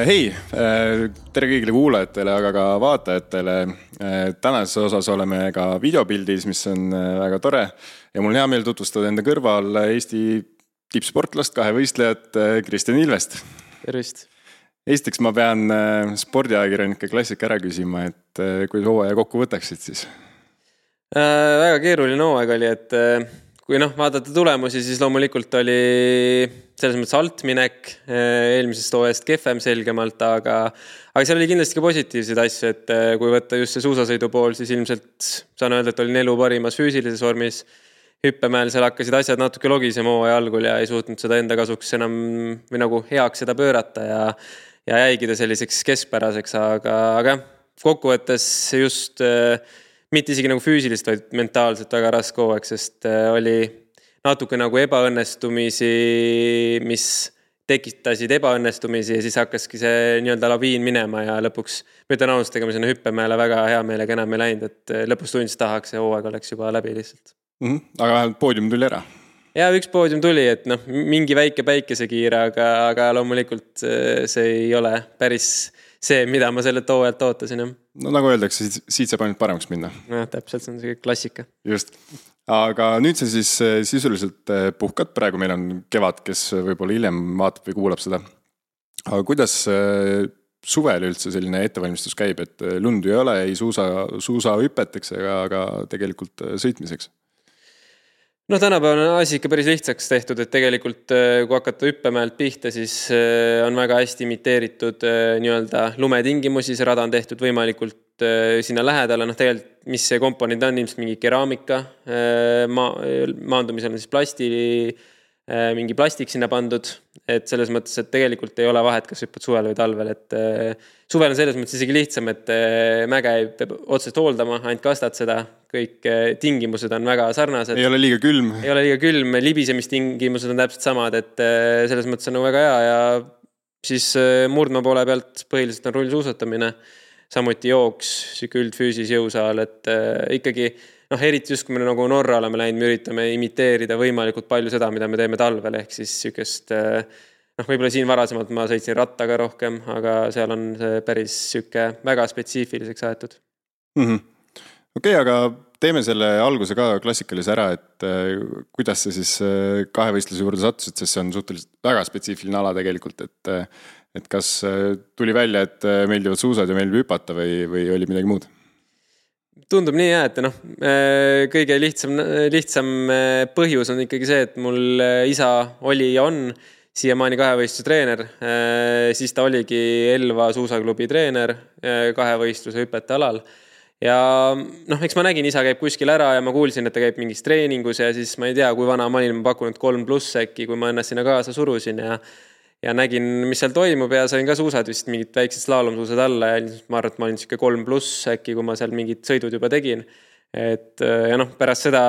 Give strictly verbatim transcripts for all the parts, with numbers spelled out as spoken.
Hei, tere kõigile kuulajatele, aga ka vaatajatele. Tänases osas oleme ka videopildis, mis on väga tore. Ja mul on hea meel tutvustada enda kõrval Eesti tippsportlast, kahe võistlejat Kristjan Ilvest. Tervist. Esiteks ma pean spordiajakirjanike klassika ära küsima, et kui hooaja kokku võtaksid siis? Äh, väga keeruline hooaeg oli, et kui noh, vaadata tulemusi, siis loomulikult oli selles mõttes altminek eelmisest hooajast kehvem selgemalt, aga, aga seal oli kindlasti ka positiivseid asju, et kui võtta just see suusasõidu pool, siis ilmselt saan öelda, et oli elu parimas füüsilises vormis. Hüppemäel seal hakkasid asjad natuke logisema hooaja algul ja ei suutnud seda enda kasuks enam või nagu heaks seda pöörata ja, ja jäigida selliseks keskpäraseks, aga, aga kokkuvõttes just mitte isegi nagu füüsilist, vaid mentaalselt väga raske hooaeg, sest oli natuke nagu ebaõnnestumisi, mis tekitasid ebaõnnestumisi ja siis hakkaski see nii-öelda laviin minema ja lõpuks mõtlen austega, mis on hüppemäele väga hea meelega enam ei läinud, et lõpus tundis tahaks ja hooaeg oleks juba läbi lihtsalt. Mm-hmm. Aga vähemalt poodium tuli ära? Ja üks poodium tuli, et noh, mingi väike päikesekiire, aga, aga loomulikult see ei ole päris see, mida ma sellelt hooajalt ootasin. No nagu öeldakse, siit saab ainult paremaks minna. No, täpselt, see on see klassika. Just. Aga nüüd see siis sisuliselt puhkad. Praegu meil on kevad, kes võib-olla hiljem vaatab või kuulab seda. Aga kuidas suvel üldse selline ettevalmistus käib, et lundu ei ole, ei suusa, suusa hüpeteks, aga tegelikult sõitmiseks? No tänapäeval on asi ikka päris lihtsaks tehtud, et tegelikult kui hakata hüppemäelt pihta, siis on väga hästi imiteeritud nii-öelda lumetingimusi, see rada on tehtud võimalikult sinna lähedale, noh tegelikult mis see komponent on, ilmselt mingi keraamika, ma, maandumisel on siis plasti, mingi plastik sinna pandud, et selles mõttes, et tegelikult ei ole vahet, kas hüppad suvel või talvel, et suvel on selles mõttes isegi lihtsam, et mäge ei peab otsest hooldama, ainult kastad seda, kõik tingimused on väga sarnased. Ei ole liiga külm. Ei ole liiga külm, libisemistingimused on täpselt samad, et selles mõttes on väga hea ja siis murdma poole pealt põhiliselt on rullsuusatamine, samuti jooks, süke üldfüüsis jõusaal, et ikkagi noh, eriti just kui me nagu Norra oleme läinud, me üritame imiteerida võimalikult palju seda, mida me teeme talvel, ehk siis sükest, noh, võib-olla siin varasemalt ma sõitsin rattaga rohkem, aga seal on see päris süke väga spetsiifiliseks aetud. Mm-hmm. Okei, okay, aga teeme selle alguse ka klassikalise ära, et kuidas see siis kahevõistluse juurde sattusid, sest see on suhteliselt väga spetsiifiline ala tegelikult, et, et kas tuli välja, et meeldivad suusad ja meeldib hüpata või, või oli midagi muud? Tundub nii jah, et noh, kõige lihtsam, lihtsam põhjus on ikkagi see, et mul isa oli ja on siiamaani kahevõistluse treener, siis ta oligi Elva suusaklubi treener kahevõistluse hüpete alal. Ja noh, eks ma nägin, isa käib kuskil ära ja ma kuulsin, et ta käib mingis treeningus ja siis ma ei tea, kui vana ma olin, ma pakunud kolm pluss äkki, kui ma ennast sinna kaasa surusin ja ja nägin, mis seal toimub ja sain ka suusad vist mingid väiksed slaalomsuusad alla ja ma arvan, et ma olin siuke kolm pluss äkki, kui ma seal mingid sõidud juba tegin. Et ja noh, pärast seda,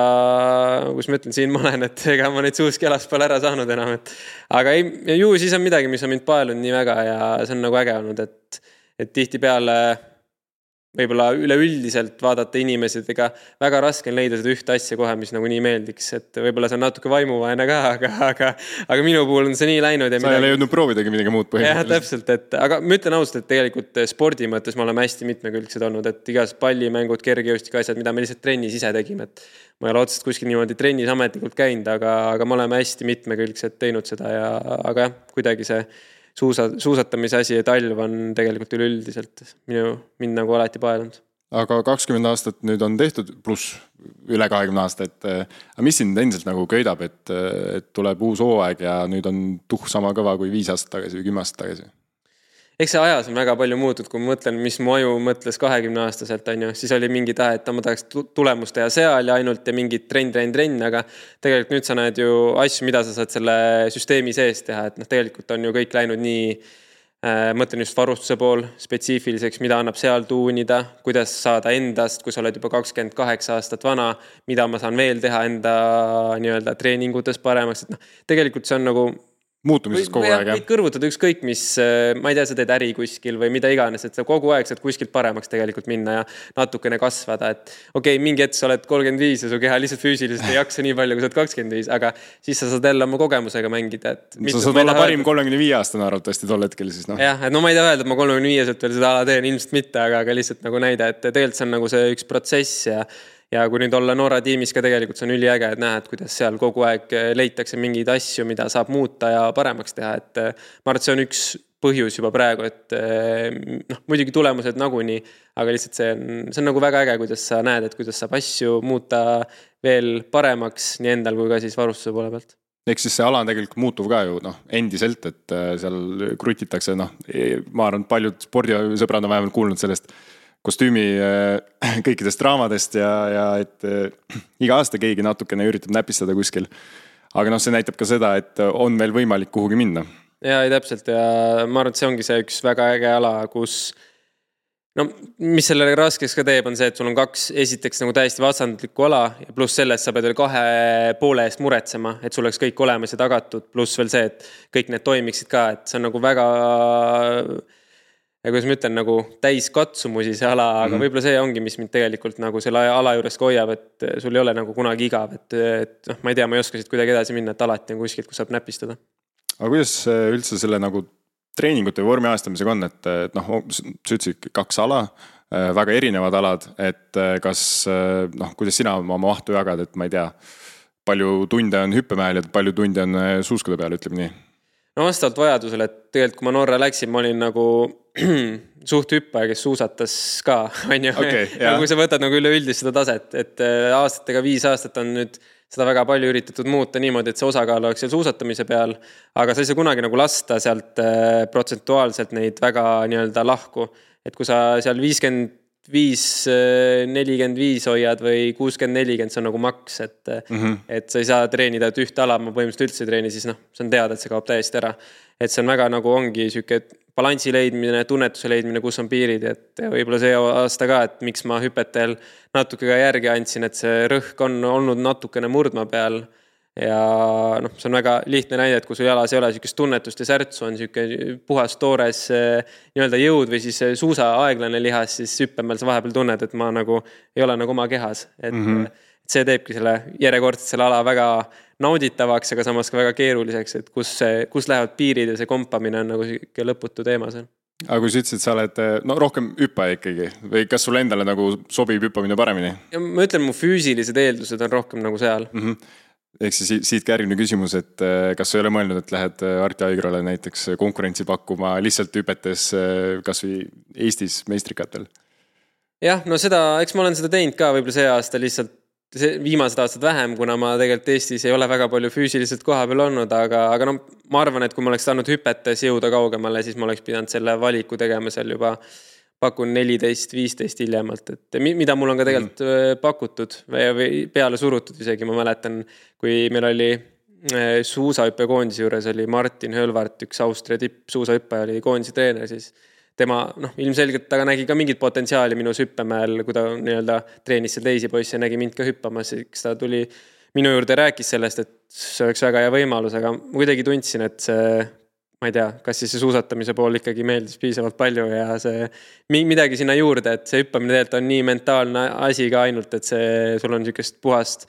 kus ma ütlen, siin ma olen, et ega ma neid suuski alas pole ära saanud enam. Et, aga ei, ju siis on midagi, mis on mind paelunud nii väga ja see on nagu äge olnud, et, et tihti peale võib-olla üleüldiselt vaadata inimesed, ega väga raske on leida seda ühte asja kohe, mis nagu nii meeldiks, et võib-olla see on natuke vaimuvaene ka, aga, aga, aga minu puhul on see nii läinud. Ja sa ei ole jõudnud proovidagi midagi muud põhimõtteliselt. Jah, täpselt, et, aga ma ütlen ausalt, et tegelikult spordi mõttes me oleme hästi mitmekülgsed olnud, et igas pallimängud, kergejõustik asjad, mida me lihtsalt trennis ise tegime, et ma ei ole otsest kuskil niimoodi trennis ametlikult käinud, aga, aga me oleme hästi mitmekülgsed teinud seda ja, aga jah, kuidagi see Suusa, suusatamise asi ja talv on tegelikult üleüldiselt minu, mind nagu alati paelunud. Aga kakskümmend aastat nüüd on tehtud, pluss üle kahekümne aasta, et aga mis sind endiselt nagu köidab, et, et tuleb uus hooaeg ja nüüd on tuh sama kõva kui viis aastat tagasi või kümme aastat tagasi? Eks see ajas on väga palju muutud, kui ma mõtlen, mis mu aju mõtles kahekümne aastaselt, on ju, siis oli mingi tahe, et ma tahaks tulemust teha seal ja ainult ja mingid trenn, trenn, trenn, aga tegelikult nüüd sa näed ju asju, mida sa saad selle süsteemi sees teha, et noh, tegelikult on ju kõik läinud nii, äh, mõtlen just varustuse pool spetsiifiliseks, mida annab seal tuunida, kuidas saada endast, kui sa oled juba kakskümmend kaheksa aastat vana, mida ma saan veel teha enda nii-öelda treeningutes paremaks, et noh, tegelikult see on nagu muutumises kogu või, aeg, jah? Võid kõrvutada ükskõik, mis, ma ei tea, sa teed äri kuskil või mida iganes, et sa kogu aeg saad kuskilt paremaks tegelikult minna ja natukene kasvada, et okei, okay, mingi hetk sa oled kolmkümmend viis ja su keha lihtsalt füüsiliselt ei jaksa nii palju, kui sa oled kakskümmend viis, aga siis sa saad jälle oma kogemusega mängida. Et sa saad olla parim kolmekümne viie aastane arvatavasti tol hetkel siis, noh. jah, et no ma ei tea öelda, et ma kolmekümne viieselt veel seda ala teen, ilmselt mitte, aga, aga lihtsalt nagu näide, et tegelikult see on nagu see üks protsess ja Ja kui nüüd olla Norra tiimis ka tegelikult see on üliäge, et näha, et kuidas seal kogu aeg leitakse mingeid asju, mida saab muuta ja paremaks teha, et ma arvan, et see on üks põhjus juba praegu, et noh, muidugi tulemused naguni, aga lihtsalt see on, see on nagu väga äge, kuidas sa näed, et kuidas saab asju muuta veel paremaks nii endal kui ka siis varustuse poole pealt. Eks siis see ala on tegelikult muutuv ka ju noh, endiselt, et seal krutitakse, noh, ma arvan, paljud spordisõbrad on vähemalt kuulnud sellest kostüümi kõikidest draamadest ja, ja et iga aasta keegi natukene üritab näpistada kuskil. Aga noh, see näitab ka seda, et on veel võimalik kuhugi minna. Ja, ei täpselt ja ma arvan, et see ongi see üks väga äge ala, kus no mis sellele raskeks ka teeb, on see, et sul on kaks esiteks nagu täiesti vastandlikku ala ja pluss sellest sa pead veel kahe poole eest muretsema, et sul oleks kõik olemas ja tagatud, pluss veel see, et kõik need toimiksid ka, et see on nagu väga ja kuidas ma ütlen, nagu täis katsumusi see ala, aga mm-hmm. võib-olla see ongi, mis mind tegelikult nagu selle ala juures hoiab, et sul ei ole nagu kunagi igav, et, et noh, ma ei tea, ma ei oska siit kuidagi edasi minna, et alati on kuskilt, kus saab näpistada. Aga kuidas üldse selle nagu treeningute või vormi ajastamisega on, et noh, sa ütlesid kaks ala, väga erinevad alad, et kas, noh, kuidas sina oma mahtu jagad, et ma ei tea, palju tunde on hüppemäel ja palju tunde on suuskade peal, ütleme nii? No vastavalt vajadusele, et tegelikult kui ma Norra läksin, ma olin nagu suht hüppaja, kes suusatas ka, on ju. Okay, ja kui sa võtad nagu üleüldist seda taset, et aastatega viis aastat on nüüd seda väga palju üritatud muuta niimoodi, et see osakaal oleks seal suusatamise peal, aga sa ei saa kunagi nagu lasta sealt protsentuaalselt neid väga nii-öelda lahku, et kui sa seal viiskümmend viis nelikümmend viis hoiad või kuuskümmend nelikümmend, see on nagu maks, et, mm-hmm. et sa ei saa treenida, et ühte ala ma põhimõtteliselt üldse treeni, siis noh, see on teada, et see kaob täiesti ära. Et see on väga nagu ongi süke balansi leidmine, tunnetuse leidmine, kus on piirid, et võib-olla see aasta ka, et miks ma hüpetel natuke ka järgi andsin, et see rõhk on olnud natukene murdma peal ja noh, see on väga lihtne näide, et kui sul jalas ei ole sükest tunnetust ja särtsu, on süke puhas toores nii-öelda jõud või siis suusa aeglane lihas, siis hüppemel sa vahepeal tunned, et ma nagu ei ole nagu oma kehas, et mm-hmm. see teebki selle järjekordselt selle ala väga nauditavaks, aga samas ka väga keeruliseks, et kus, see, kus lähevad piirid ja see kompamine on nagu süke lõputu teema seal. Aga kui sa ütlesid, sa oled no, rohkem hüppaja ikkagi või kas sul endale nagu sobib hüppamine paremini? Ja ma ütlen, mu füüsilised eeldused on rohkem nagu seal. Mm-hmm. Ehk siis siit ka järgmine küsimus, et kas sa ei ole mõelnud, et lähed Arti Aigrale näiteks konkurentsi pakkuma lihtsalt hüpetes kas või Eestis meistrikatel? Jah, no seda, eks ma olen seda teinud ka võib-olla see aasta lihtsalt see viimased aastad vähem, kuna ma tegelikult Eestis ei ole väga palju füüsiliselt koha peal olnud, aga, aga no, ma arvan, et kui ma oleks saanud hüpetes jõuda kaugemale, siis ma oleks pidanud selle valiku tegema seal juba pakun neliteist viisteist hiljemalt, et mida mul on ka tegelikult mm. pakutud või peale surutud isegi, ma mäletan, kui meil oli suusahüppe koondise juures oli Martin Hölvart, üks Austria tipp suusahüppe oli koondise treener, siis tema noh, ilmselgelt taga nägi ka mingit potentsiaali minus hüppemäel, kui ta nii-öelda treenis seal teisi poisse ja nägi mind ka hüppamas, eks ta tuli minu juurde rääkis sellest, et see oleks väga hea võimalus, aga ma kuidagi tundsin, et see ma ei tea, kas siis see suusatamise pool ikkagi meeldis piisavalt palju ja see midagi sinna juurde, et see hüppamine tegelikult on nii mentaalne asi ka ainult, et see, sul on sükest puhast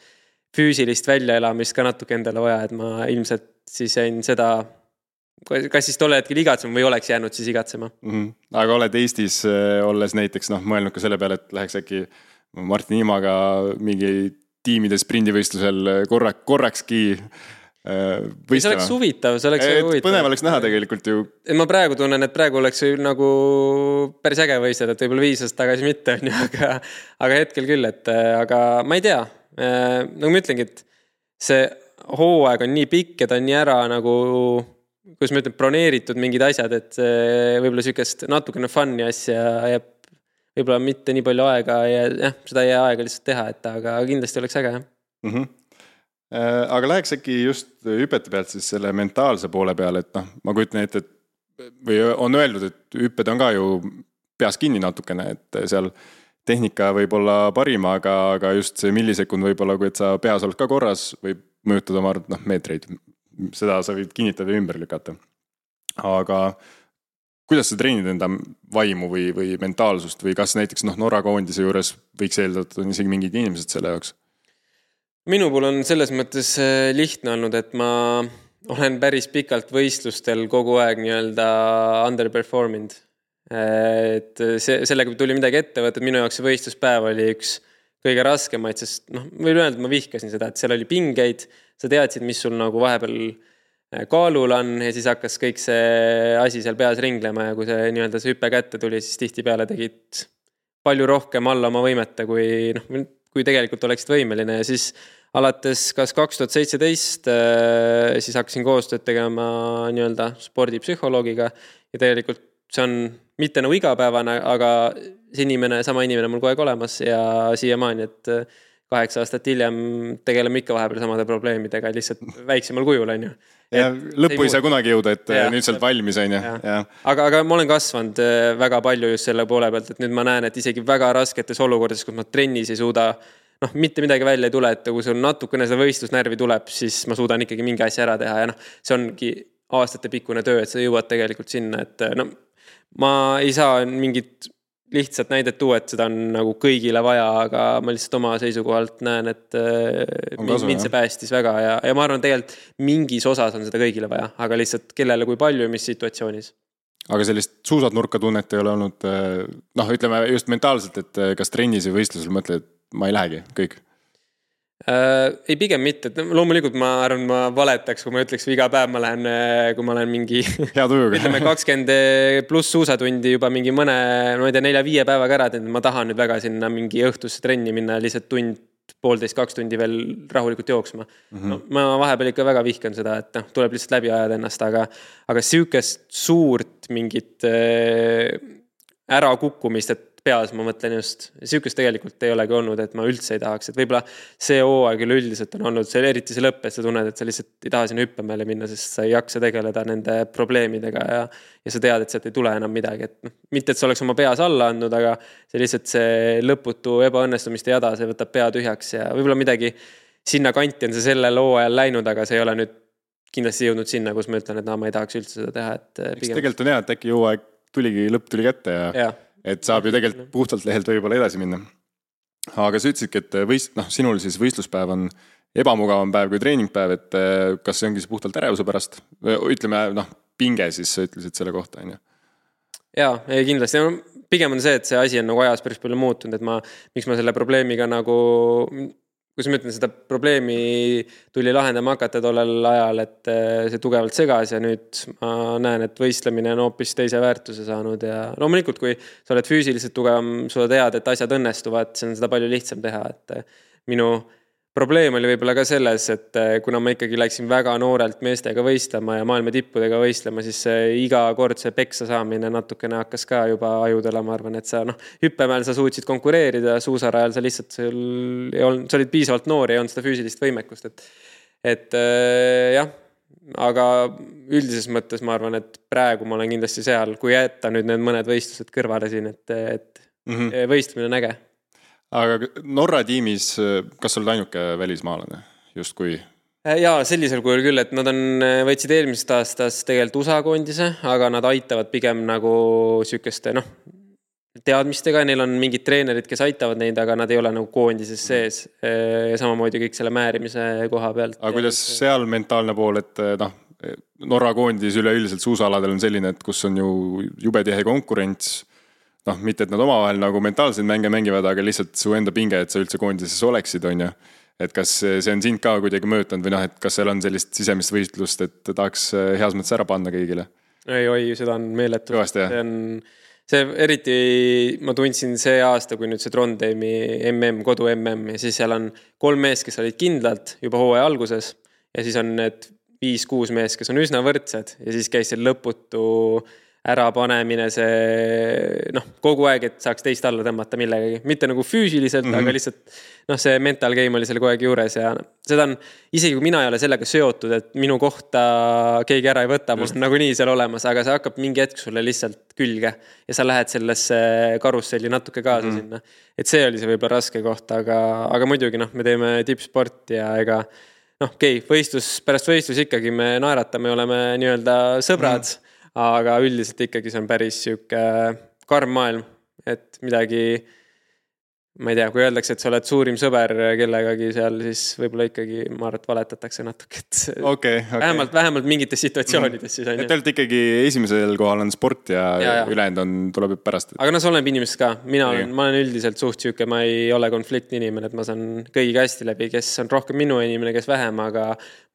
füüsilist väljaelamist ka natuke endale vaja, et ma ilmselt siis jäin seda, kas siis tolle hetkel igatsema või oleks jäänud siis igatsema. Mm-hmm. Aga oled Eestis olles näiteks noh, mõelnud ka selle peale, et läheks äkki Martin Imaga mingi tiimide sprindivõistlusel korrak, korrakski võistlema. See oleks huvitav, see oleks huvitav. Põnev oleks näha tegelikult ju. Ma praegu tunnen, et praegu oleks nagu päris äge võistleda, et võib-olla viis aastat tagasi mitte on ju, aga, aga hetkel küll, et aga ma ei tea. Nagu ma ütlengi, et see hooaeg on nii pikk ja ta on nii ära nagu, kus ma ütlen, broneeritud mingid asjad, et võib-olla sükest natukene funny asja jääb võib-olla mitte nii palju aega ja jah, seda ei jää aega lihtsalt teha, et aga kindlasti oleks äge. Mhm. Aga läheks äkki just hüpete pealt siis selle mentaalse poole peale, et noh, ma kujutan ette, et või on öeldud, et hüpped on ka ju peas kinni natukene, et seal tehnika võib olla parim, aga, aga just see millisekund võib olla, kui et sa peas oled ka korras, võib mõjutada oma noh, meetreid. seda sa võid kinnitada ja ümber lükata. Aga kuidas sa treenid enda vaimu või, või mentaalsust või kas näiteks noh, Norra koondise juures võiks eeldada, et on isegi mingid inimesed selle jaoks? Minu puhul on selles mõttes lihtne olnud, et ma olen päris pikalt võistlustel kogu aeg nii-öelda underperformed. Et see, sellega tuli midagi ette võtta, et minu jaoks see võistluspäev oli üks kõige raskemaid, sest noh, võin öelda, et ma vihkasin seda, et seal oli pingeid, sa teadsid, mis sul nagu vahepeal kaalul on ja siis hakkas kõik see asi seal peas ringlema ja kui see nii-öelda see hüppe kätte tuli, siis tihti peale tegid palju rohkem alla oma võimete, kui, noh, kui tegelikult oleksid võimeline ja siis alates kas kaks tuhat seitseteist siis hakkasin koostööd tegema nii-öelda spordipsühholoogiga ja tegelikult see on mitte nagu igapäevane, aga see inimene, sama inimene mul kogu aeg olemas ja siiamaani, et kaheksa aastat hiljem tegeleme ikka vahepeal samade probleemidega, lihtsalt väiksemal kujul, on ju. Ja lõppu ei saa kunagi jõuda, et ja, nüüd sealt valmis, on ju. Aga, aga ma olen kasvanud väga palju just selle poole pealt, et nüüd ma näen, et isegi väga rasketes olukordades, kus ma trennis ei suuda, noh, mitte midagi välja ei tule, et kui sul natukene seda võistlusnärvi tuleb, siis ma suudan ikkagi mingi asja ära teha ja noh, see ongi aastate pikkune töö, et sa jõuad tegelikult sinna, et no, ma ei saa mingit lihtsalt näidet tuua, et seda on nagu kõigile vaja, aga ma lihtsalt oma seisukohalt näen, et kasu, mind see päästis väga ja, ja ma arvan, tegelikult mingis osas on seda kõigile vaja, aga lihtsalt kellele kui palju ja mis situatsioonis. Aga sellist suusad nurka tunnet ei ole olnud, noh, ütleme just mentaalselt, et kas trennis või võistlusel mõtled, et ma ei lähegi kõik? Äh, ei pigem mitte, et loomulikult ma arvan, ma valetaks, kui ma ütleks iga päev ma lähen, kui ma olen mingi hea tujuga. Ütleme kakskümmend pluss suusatundi juba mingi mõne, ma ei tea, nelja-viie päevaga ära, et ma tahan nüüd väga sinna mingi õhtusse trenni minna lihtsalt tund, poolteist, kaks tundi veel rahulikult jooksma. Mm-hmm. No, ma vahepeal ikka väga vihkan seda, et no, tuleb lihtsalt läbi ajada ennast, aga, aga süükest suurt mingit äh, ära kukkumist, et peas ma mõtlen just, süükest tegelikult ei olegi olnud, et ma üldse ei tahaks, et võib-olla see hooaeg üldiselt on olnud, see eriti see lõpp, et sa tunned, et sa lihtsalt ei taha sinna hüppemäele minna, sest sa ei jaksa tegeleda nende probleemidega ja, ja sa tead, et sealt ei tule enam midagi, et noh, mitte, et sa oleks oma peas alla andnud, aga see lihtsalt see lõputu ebaõnnestumiste jada, see võtab pea tühjaks ja võib-olla midagi sinna kanti on see sellel hooajal läinud, aga see ei ole nüüd kindlasti jõudnud sinna, kus ma ütlen, et no, ma ei tahaks üldse seda teha, et pigem... tegelikult on hea, et äkki hooaeg tuligi, lõpp tuli kätte ja, ja. Et saab ju tegelikult puhtalt lehelt võib-olla edasi minna. Aga sa ütlesidki, et võist, noh, sinul siis võistluspäev on ebamugavam päev kui treeningpäev, et kas see ongi see puhtalt ärevuse pärast? Ütleme, noh, pinge siis sa ütlesid selle kohta, on ju? Jaa, ei kindlasti. Pigem on see, et see asi on nagu ajas päris palju muutunud, et ma, miks ma selle probleemiga nagu... Kus ma ütlen, seda probleemi tuli lahendama hakata tollel ajal, et see tugevalt segas ja nüüd ma näen, et võistlemine on hoopis teise väärtuse saanud ja loomulikult, kui sa oled füüsiliselt tugevam, sa tead, et asjad õnnestuvad, see on seda palju lihtsam teha, et minu probleem oli võib-olla ka selles, et kuna ma ikkagi läksin väga noorelt meestega võistlema ja maailma tippudega võistlema, siis iga kord see peksa saamine natukene hakkas ka juba ajudele, ma arvan, et sa noh, hüppemäel sa suutsid konkureerida, suusarajal sa lihtsalt sul ei olnud, sa olid piisavalt noor ja ei olnud seda füüsilist võimekust, et, et äh, jah, aga üldises mõttes ma arvan, et praegu ma olen kindlasti seal, kui jätta nüüd need mõned võistlused kõrvale siin, et, et mm-hmm. võistlemine on äge. Aga Norra tiimis, kas sa oled ainuke välismaalane justkui? Jaa, sellisel kujul küll, et nad on, võtsid eelmisest aastast tegelikult U S A koondise, aga nad aitavad pigem nagu sükeste, noh, teadmistega, neil on mingid treenerid, kes aitavad neid, aga nad ei ole nagu koondises sees ja samamoodi kõik selle määrimise koha pealt. Aga kuidas seal mentaalne pool, et noh, Norra koondis üleüldiselt suusaladel on selline, et kus on ju jube tihe konkurents, noh, mitte, et nad omavahel nagu mentaalseid mänge mängivad, aga lihtsalt su enda pinge, et sa üldse koondises oleksid, on ju. Et kas see on sind ka kuidagi mõõtanud või noh, et kas seal on sellist sisemist võistlust, et tahaks heas mõttes ära panna kõigile? Ei, oi, seda on meeletu. Kõvasti, see on, see eriti ma tundsin see aasta, kui nüüd see Trondheimi M M, kodu M M ja siis seal on kolm meest, kes olid kindlalt juba hooaja alguses ja siis on need viis-kuus meest, kes on üsna võrdsed ja siis käis see lõputu ära panemine, see noh, kogu aeg, et saaks teist alla tõmmata millegagi. Mitte nagu füüsiliselt, mm-hmm. aga lihtsalt noh, see mental game oli selle kogu aeg juures ja seda on, isegi kui mina ei ole sellega seotud, et minu kohta keegi ära ei võta, mul on nagu nii seal olemas, aga see hakkab mingi hetk sulle lihtsalt külge ja sa lähed sellesse karusselli natuke kaasa mm-hmm. sinna. Et see oli see võib-olla raske koht, aga, aga muidugi noh, me teeme tippsporti ja ega noh, okei, okay, võistlus, pärast võistlus ikkagi me naeratame, oleme nii-öelda sõbrad, mm. aga üldiselt ikkagi see on päris siuke karm maailm, et midagi ma ei tea, kui öeldakse, et sa oled suurim sõber kellegagi seal, siis võib-olla ikkagi ma arvan, et valetatakse natuke, et okay, okay. vähemalt, vähemalt mingites situatsioonides siis on. Et teilt ikkagi esimesel kohal on sport ja, ja, ja. ülejäänud on, tuleb pärast. Aga no see oleneb inimesest ka. Mina olen, ma olen üldiselt suht siuke, ma ei ole konfliktni inimene, et ma saan kõigiga hästi läbi, kes on rohkem minu inimene, kes vähem, aga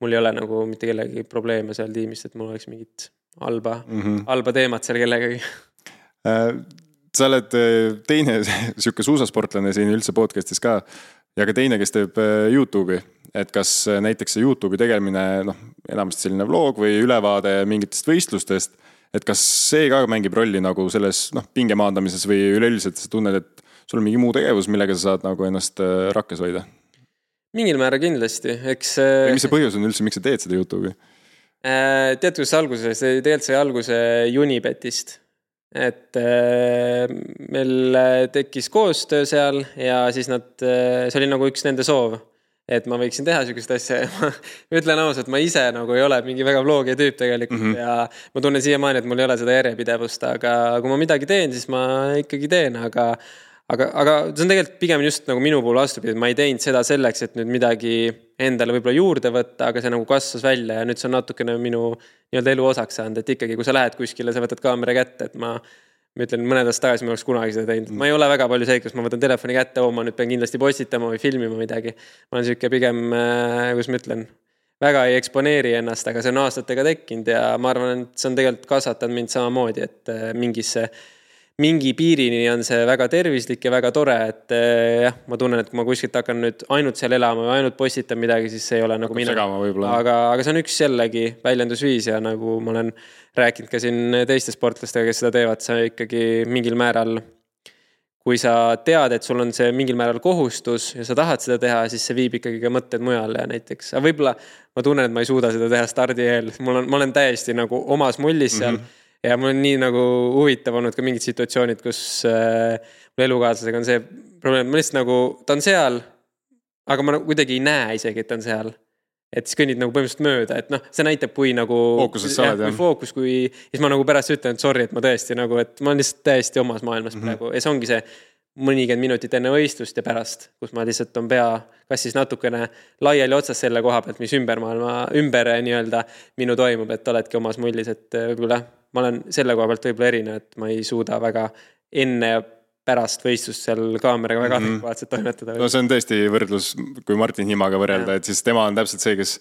mul ei ole nagu mitte kellegi probleeme seal tiimist, et mul oleks mingit halba, mm -hmm. halba teemat seal kellegagi. Sa oled teine siuke suusasportlane siin üldse podcastis ka ja ka teine, kes teeb YouTube'i, et kas näiteks see YouTube'i tegemine, noh, enamasti selline vlog või ülevaade mingitest võistlustest, et kas see ka mängib rolli nagu selles, noh, pinge maandamises või üleüldiselt sa tunned, et sul on mingi muu tegevus, millega sa saad nagu ennast rakkes hoida? Mingil määra kindlasti, eks... Või mis see põhjus on üldse, miks sa teed seda YouTube'i? Tead, kus alguses, tegelikult sai alguse Unibetist. Et meil tekkis koostöö seal ja siis nad, see oli nagu üks nende soov, et ma võiksin teha sükest asja ja ma ütlen ausalt, ma ise nagu ei ole mingi väga vlogija tüüp tegelikult mm -hmm. ja ma tunnen siiamaani, et mul ei ole seda järjepidevust, aga kui ma midagi teen, siis ma ikkagi teen, aga aga, aga see on tegelikult pigem just nagu minu puhul vastupidi, et ma ei teinud seda selleks, et nüüd midagi endale võib-olla juurde võtta, aga see nagu kasvas välja ja nüüd see on natukene minu nii-öelda elu osaks saanud, et ikkagi, kui sa lähed kuskile, sa võtad kaamera kätte, et ma, ma ütlen, mõned aastad tagasi ma oleks kunagi seda teinud. Ma ei ole väga palju see, kus ma võtan telefoni kätte, oo, ma nüüd pean kindlasti postitama või filmima midagi. Ma olen siuke pigem, kus ma ütlen, väga ei eksponeeri ennast, aga see on aastatega tekkinud ja ma arvan, et see on tegelikult kasvatanud mind samamoodi, et mingisse mingi piirini on see väga tervislik ja väga tore, et jah, ma tunnen, et kui ma kuskilt hakkan nüüd ainult seal elama või ainult postitan midagi, siis see ei ole nagu mina. Aga, aga see on üks jällegi väljendusviis ja nagu ma olen rääkinud ka siin teiste sportlastega, kes seda teevad, sa ikkagi mingil määral, kui sa tead, et sul on see mingil määral kohustus ja sa tahad seda teha, siis see viib ikkagi ka mõtted mujale ja näiteks. Aga võib-olla ma tunnen, et ma ei suuda seda teha stardi eel. Mul on, ma olen täiesti nagu omas mullis seal. Mm-hmm. Ja mul on nii nagu huvitav olnud ka mingid situatsioonid, kus äh, mul elukaaslasega on see probleem, ma lihtsalt nagu, ta on seal, aga ma nagu kuidagi ei näe isegi, et ta on seal. Et siis kõnnid nagu põhimõtteliselt mööda, et noh, see näitab, kui nagu fookuses sa oled, jah. Kui fookus, kui, siis ma nagu pärast ütlen, et sorry, et ma tõesti nagu, et ma olen lihtsalt täiesti omas maailmas mm-hmm. praegu. Ja see ongi see mõnikümmend minutit enne võistlust ja pärast, kus ma lihtsalt on pea, kas siis natukene laiali otsas selle koha pealt, mis ümber maailma, ümber nii-öelda minu toimub, et oledki omas mullis, et võib-olla ma olen selle koha pealt võib-olla erinev, et ma ei suuda väga enne ja pärast võistlust seal kaameraga väga mm-hmm. adekvaatselt toimetada. No see on tõesti võrdlus, kui Martin Himaga võrrelda, ja. Et siis tema on täpselt see, kes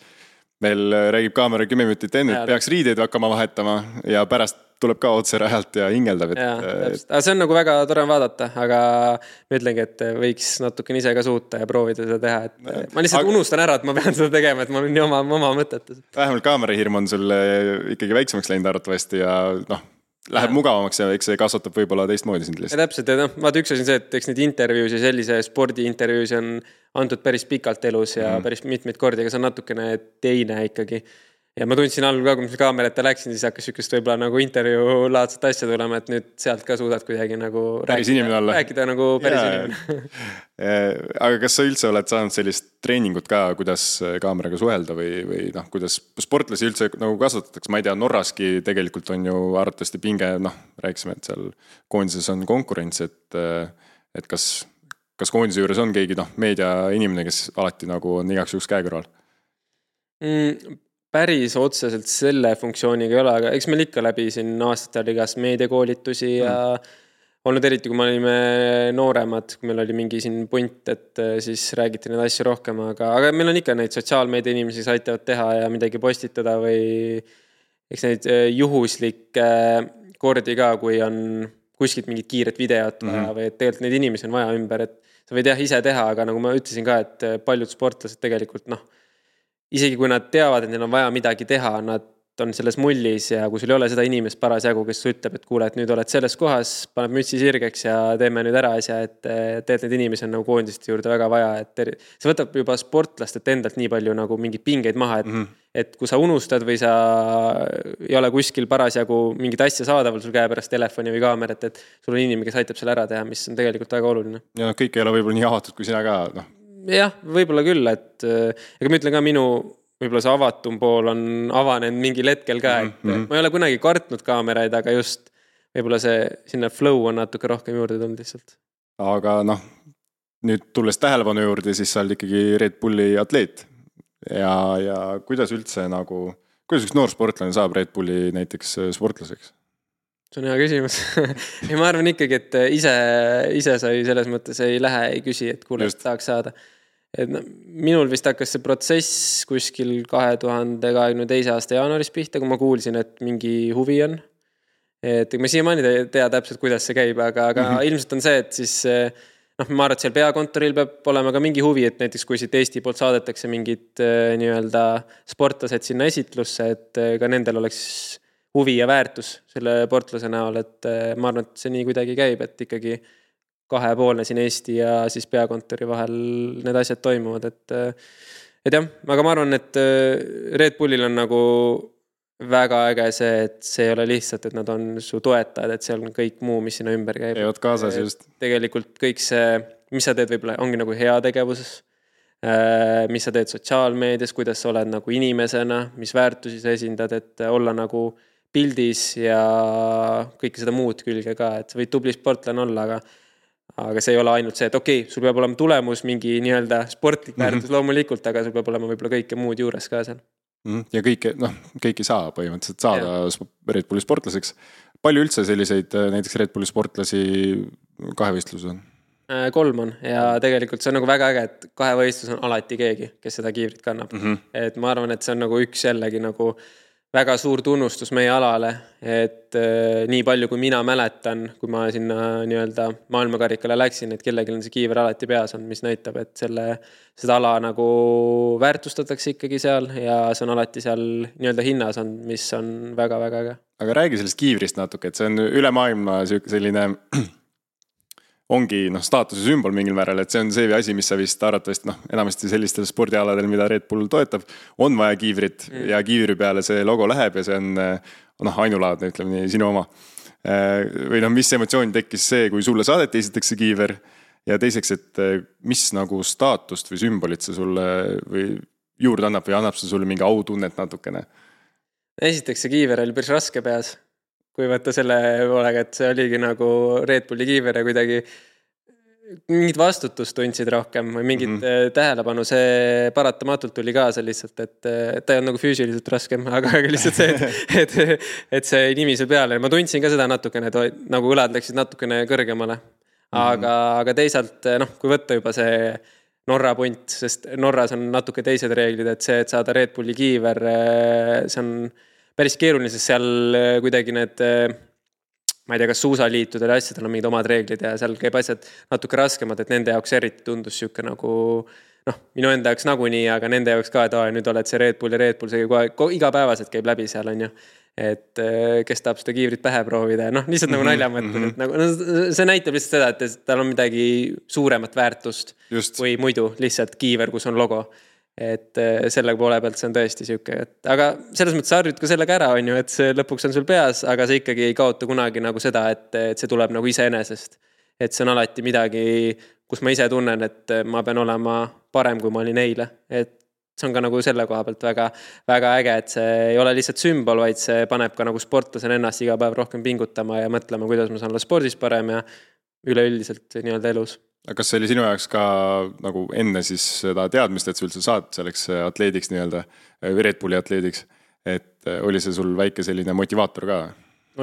meil räägib kaamera kümme minutit enne, et peaks riideid hakkama vahetama ja pärast tuleb ka otse rajalt ja hingeldab. Et, ja, et... Aga see on nagu väga tore vaadata, aga ma ütlengi, et võiks natuke ise ka suuta ja proovida seda teha. Et ja. Ma lihtsalt aga... unustan ära, et ma pean seda tegema, et ma olen nii oma, oma mõtetes. Vähemalt kaamerahirm on sul ikkagi väiksemaks läinud arvatavasti ja noh, läheb ja. Mugavamaks ja eks see kasvatab võib-olla teistmoodi sind lihtsalt. Ja täpselt, ja noh, vaata üks asi on see, et eks neid intervjuus ja sellise spordiintervjuus on antud päris pikalt elus ja mm. päris mitmeid kordi, aga see on natukene teine ikkagi. Ja ma tundsin algul ka, kui ma kaamerata läksin, siis hakkas sükest võib-olla nagu intervjuu laadset asja tulema, et nüüd sealt ka suudad kuidagi nagu päris rääkida, rääkida nagu päris ja. Inimene. Aga kas sa üldse oled saanud sellist treeningut ka, kuidas kaameraga suhelda või, või noh, kuidas sportlasi üldse nagu kasvatatakse? Ma ei tea, Norraski tegelikult on ju arvatavasti pinge, noh, rääkisime, et seal koondises on konkurents, et, et kas, kas koondise juures on keegi noh, meedia inimene, kes alati nagu on igaks juhuks käe kõrval? Mm. Päris otseselt selle funktsiooniga ei ole, aga eks meil ikka läbi siin aastatel igas meediakoolitusi ja mm. olnud eriti, kui me olime nooremad, kui meil oli mingi siin punt, et siis räägiti neid asju rohkem, aga, aga meil on ikka neid sotsiaalmeedia inimesi, kes aitavad teha ja midagi postitada või eks neid juhuslikke kordi ka, kui on kuskilt mingit kiiret videot vaja mm. või et tegelikult neid inimesi on vaja ümber, et sa võid jah ise teha, aga nagu ma ütlesin ka, et paljud sportlased tegelikult noh, isegi kui nad teavad, et neil on vaja midagi teha, nad on selles mullis ja kui sul ei ole seda inimest parasjagu, kes ütleb, et kuule, et nüüd oled selles kohas, paneb mütsi sirgeks ja teeme nüüd ära asja, et tegelikult need inimesi on nagu koondiste juurde väga vaja, et see võtab juba sportlastelt endalt nii palju nagu mingeid pingeid maha, et, mm-hmm. et kui sa unustad või sa ei ole kuskil parasjagu mingit asja saadaval sul käe pärast telefoni või kaamerat, et sul on inimene, kes aitab selle ära teha, mis on tegelikult väga oluline. Ja kõik ei ole võib-olla nii avatud kui sina ka, noh. Jah, võib-olla küll, et ega ma ütlen ka minu võib-olla see avatum pool on avanenud mingil hetkel ka, et mm-hmm. ma ei ole kunagi kartnud kaameraid, aga just võib-olla see sinna flow on natuke rohkem juurde tulnud lihtsalt. Aga noh, nüüd tulles tähelepanu juurde, siis sa oled ikkagi Red Bulli atleet ja, ja kuidas üldse nagu, kuidas üks noor sportlane saab Red Bulli näiteks sportlaseks? See on hea küsimus. ja ma arvan ikkagi, et ise, ise sai selles mõttes ei lähe, ei küsi, et kuule, et tahaks saada. Et no, minul vist hakkas see protsess kuskil kahe tuhande kahekümne teise aasta jaanuaris pihta, kui ma kuulsin, et mingi huvi on. Et ma siiamaani ei tea täpselt, kuidas see käib, aga, aga mm-hmm. ilmselt on see, et siis noh, ma arvan, et seal peakontoril peab olema ka mingi huvi, et näiteks kui siit Eesti poolt saadetakse mingid nii-öelda sportlased sinna esitlusse, et ka nendel oleks huvi ja väärtus selle sportlase näol, et ma arvan, et see nii kuidagi käib, et ikkagi kahepoolne siin Eesti ja siis peakontori vahel need asjad toimuvad, et et jah, aga ma arvan, et Red Bullil on nagu väga äge see, et see ei ole lihtsalt, et nad on su toetajad, et seal on kõik muu, mis sinna ümber käib. Ei oot kaasas just. Tegelikult kõik see, mis sa teed võib-olla ongi nagu hea tegevuses, mis sa teed sotsiaalmeedias, kuidas sa oled nagu inimesena, mis väärtusi sa esindad, et olla nagu pildis ja kõike seda muud külge ka, et sa võid tubli sportlane olla, aga, aga see ei ole ainult see, et okei, okay, sul peab olema tulemus mingi nii-öelda sportlik väärtus mm-hmm. loomulikult, aga sul peab olema võib-olla kõike muud juures ka seal. Ja kõike, noh, kõike saa põhimõtteliselt saada ja. Red Bulli sportlaseks. Palju üldse selliseid näiteks Red Bulli sportlasi kahevõistlus on? Kolm on ja tegelikult see on nagu väga äge, et kahevõistlus on alati keegi, kes seda kiivrit kannab. Mm-hmm. Et ma arvan, et see on nagu üks jällegi nagu väga suur tunnustus meie alale, et äh, nii palju kui mina mäletan, kui ma sinna nii-öelda maailmakarikale läksin, et kellelgi on see kiiver alati peas on, mis näitab, et selle, seda ala nagu väärtustatakse ikkagi seal ja see on alati seal nii-öelda hinnas on, mis on väga-väga äge. Aga räägi sellest kiivrist natuke, et see on üle maailma selline ongi noh, staatuse sümbol mingil määral, et see on see asi, mis sa vist arvatavasti noh, enamasti sellistel spordialadel, mida Red Bull toetab, on vaja kiivrit mm. ja kiivri peale see logo läheb ja see on noh, ainulaadne, ütleme nii, sinu oma. Või noh, mis emotsioon tekkis see, kui sulle saadeti esiteks see kiiver ja teiseks, et mis nagu staatust või sümbolit see sulle või juurde annab või annab see sulle mingi autunnet natukene? Esiteks see kiiver oli päris raske peas. Kui võtta selle poolega, et see oligi nagu Red Bulli kiiver ja kuidagi mingid vastutust tundsid rohkem või mingit mm-hmm. tähelepanu, see paratamatult tuli kaasa lihtsalt, et ta ei on nagu füüsiliselt raskem, aga lihtsalt see, et, et, et see nimi seal peale. Ma tundsin ka seda natukene, et nagu õlad läksid natukene kõrgemale. Aga, mm-hmm. aga teisalt, noh, kui võtta juba see Norra punt, sest Norras on natuke teised reeglid, et see, et saada Red Bulli kiiver, see on päris keeruline, sest seal kuidagi need, ma ei tea, kas suusaliitudel ja asjadel on mingid omad reeglid ja seal käib asjad natuke raskemad, et nende jaoks eriti tundus siuke nagu, noh, minu enda jaoks nagunii, aga nende jaoks ka, et aa, nüüd oled see Red Bull ja Red Bull, see kohe, igapäevaselt käib läbi seal, on ju. Et kes tahab seda kiivrit pähe proovida ja noh, lihtsalt nagu nalja mõtled, et nagu, no, see näitab lihtsalt seda, et tal on midagi suuremat väärtust Just. Või muidu lihtsalt kiiver, kus on logo. Et selle poole pealt see on tõesti siuke, et aga selles mõttes harjud ka sellega ära on ju, et see lõpuks on sul peas, aga see ikkagi ei kaota kunagi nagu seda, et, et see tuleb nagu iseenesest. Et see on alati midagi, kus ma ise tunnen, et ma pean olema parem, kui ma olin eile. Et see on ka nagu selle koha pealt väga, väga äge, et see ei ole lihtsalt sümbol, vaid see paneb ka nagu sportlasena ennast iga päev rohkem pingutama ja mõtlema, kuidas ma saan olla spordis parem ja üleüldiselt nii-öelda elus. Aga kas see oli sinu jaoks ka nagu enne siis seda teadmist, et sa üldse saad selleks atleediks nii-öelda, Red Bulli atleediks, et oli see sul väike selline motivaator ka?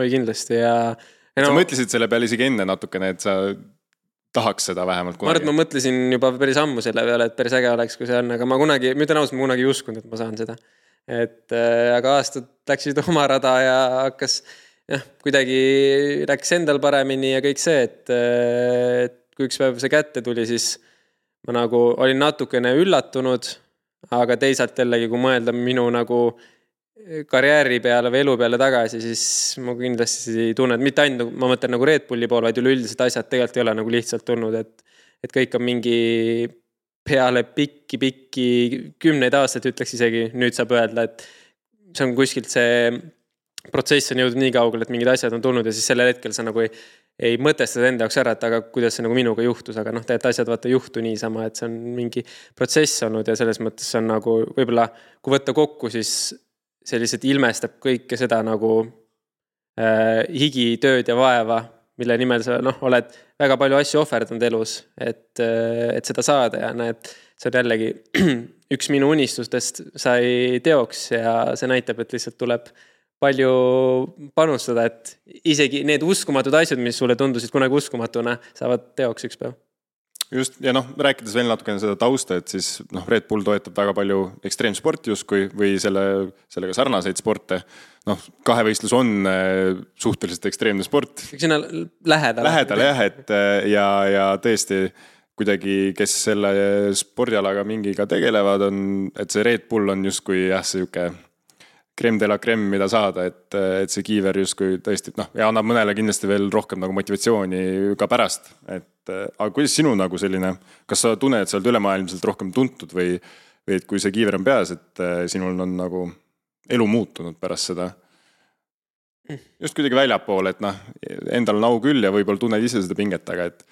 Oi kindlasti ja... ja no, sa mõtlesid selle peale isegi enne natukene, et sa tahaks seda vähemalt kunagi? Ma arvan, et ma mõtlesin juba päris ammu selle peale, et päris äge oleks, kui see on, aga ma kunagi, ma ütlen ausalt, ma kunagi ei uskunud, et ma saan seda. Et aga aastad läksid oma rada ja hakkas, jah, kuidagi läks endal paremini ja kõik see, et, et kui üks päev see kätte tuli, siis ma nagu olin natukene üllatunud, aga teisalt jällegi, kui mõelda minu nagu karjääri peale või elu peale tagasi, siis ma kindlasti tunnen, et mitte ainult, ma mõtlen nagu Red Bulli pool, vaid üleüldiselt asjad tegelikult ei ole nagu lihtsalt tulnud, et, et kõik on mingi peale pikki, pikki kümneid aastaid ütleks isegi, nüüd saab öelda, et see on kuskilt see protsess on jõudnud nii kaugel, et mingid asjad on tulnud ja siis sellel hetkel sa nagu ei, ei mõtestada enda jaoks ära, et aga kuidas see nagu minuga juhtus, aga noh, tegelikult asjad vaata juhtu niisama, et see on mingi protsess olnud ja selles mõttes on nagu võib-olla, kui võtta kokku, siis see lihtsalt ilmestab kõike seda nagu äh, higi, tööd ja vaeva, mille nimel sa noh, oled väga palju asju ohverdanud elus, et, äh, et seda saada ja näed, see on jällegi üks minu unistustest sai teoks ja see näitab, et lihtsalt tuleb palju panustada, et isegi need uskumatud asjad, mis sulle tundusid kunagi uskumatuna, saavad teoks üks päev. Just, ja noh, rääkides veel natukene seda tausta, et siis noh, Red Bull toetab väga palju ekstreemsporti justkui või selle, sellega sarnaseid sporte. Noh, kahevõistlus on suhteliselt ekstreemne sport. Sinna lähedale. Lähedale jah, et ja, ja tõesti kuidagi, kes selle spordialaga mingiga tegelevad, on, et see Red Bull on justkui jah, see juke krem de la krem, mida saada, et, et see kiiver justkui tõesti, noh, ja annab mõnele kindlasti veel rohkem nagu motivatsiooni ka pärast. Et, aga kuidas sinu nagu selline, kas sa tunned, et sa oled ülemaailmselt rohkem tuntud või, või et kui see kiiver on peas, et sinul on nagu elu muutunud pärast seda? Just kuidagi väljapool, et noh, endal on au küll ja võib-olla tunned ise seda pinget, aga et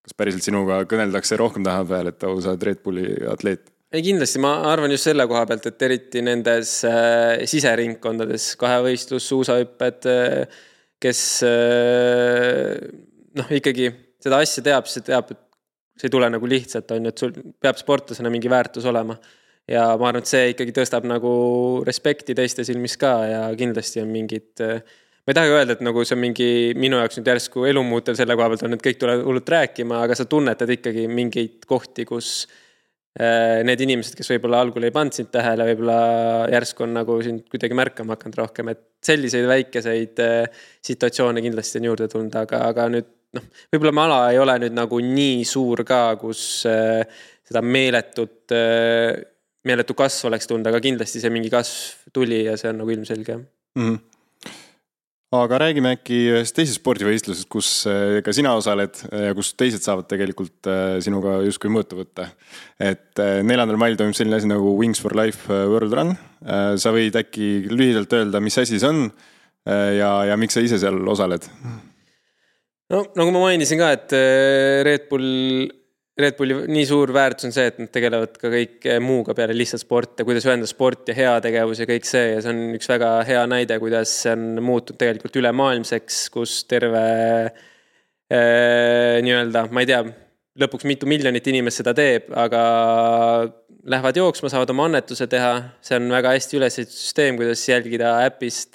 kas päriselt sinuga kõneldakse rohkem taha peal, et sa oled Red Bulli atleet? Ei kindlasti, ma arvan just selle koha pealt, et eriti nendes äh, siseringkondades, kahevõistlus, suusahüpped, äh, kes äh, noh, ikkagi seda asja teab, see teab, et see ei tule nagu lihtsalt, on, et sul peab sportlasena mingi väärtus olema. Ja ma arvan, et see ikkagi tõstab nagu respekti teiste silmis ka ja kindlasti on mingid, äh, ma ei taha öelda, et nagu see on mingi minu jaoks nüüd järsku elumuutev selle koha pealt on, et kõik tuleb hullult rääkima, aga sa tunnetad ikkagi mingeid kohti, kus need inimesed, kes võib-olla algul ei pannud sind tähele, võib-olla järsku on nagu sind kuidagi märkama hakanud rohkem, et selliseid väikeseid situatsioone kindlasti on juurde tulnud, aga, aga nüüd, noh, võib-olla ma ala ei ole nüüd nagu nii suur ka, kus seda meeletut, meeletu kasv oleks tulnud, aga kindlasti see mingi kasv tuli ja see on nagu ilmselge. Mm-hmm. Aga räägime äkki ühest teisest spordivõistlusest, kus ka sina osaled ja kus teised saavad tegelikult sinuga justkui mõõtu võtta. Et neljandal mail toimub selline asi nagu Wings for Life World Run. Sa võid äkki lühidalt öelda, mis asi see on ja, ja miks sa ise seal osaled? No, nagu ma mainisin ka, et Red Bull Red Bulli nii suur väärtus on see, et nad tegelevad ka kõik muuga peale lihtsalt sport ja kuidas ühendada sport ja hea tegevus ja kõik see ja see on üks väga hea näide, kuidas see on muutunud tegelikult ülemaailmseks, kus terve äh, nii-öelda, ma ei tea, lõpuks mitu miljonit inimest seda teeb, aga lähevad jooksma, saavad oma annetuse teha. See on väga hästi üles süsteem, kuidas jälgida äpist